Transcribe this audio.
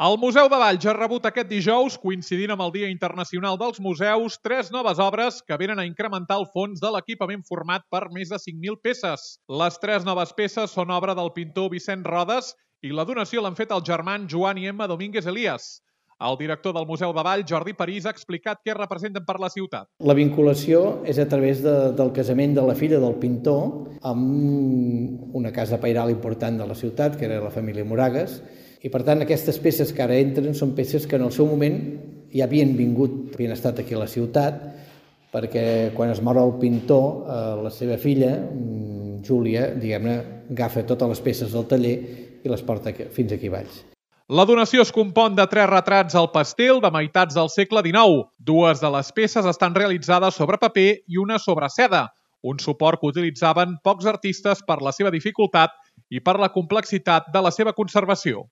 El Museu de Valls ha rebut aquest dijous, coincidint amb el Dia Internacional dels Museus, 3 noves obres que venen a incrementar el fons de l'equipament format per més de 5.000 peces. Les 3 noves peces són obra del pintor Vicent Rodes i la donació l'han fet els germans Joan i Emma Domínguez Elias. El director del Museu de Valls, Jordi París, ha explicat què representen per la ciutat. La vinculació és a través del casament de la filla del pintor amb una casa pairal important de la ciutat, que era la família Moragues, i per tant aquestes peces que ara entren són peces que en el seu moment ja havien havien estat aquí a la ciutat, perquè quan es mor el pintor, la seva filla, Júlia, diguem-ne, agafa totes les peces del taller i les porta fins aquí a Valls. La donació es compon de 3 retrats al pastel de meitats del segle XIX. 2 de les peces estan realitzades sobre paper i una sobre seda, un suport que utilitzaven pocs artistes per la seva dificultat i per la complexitat de la seva conservació.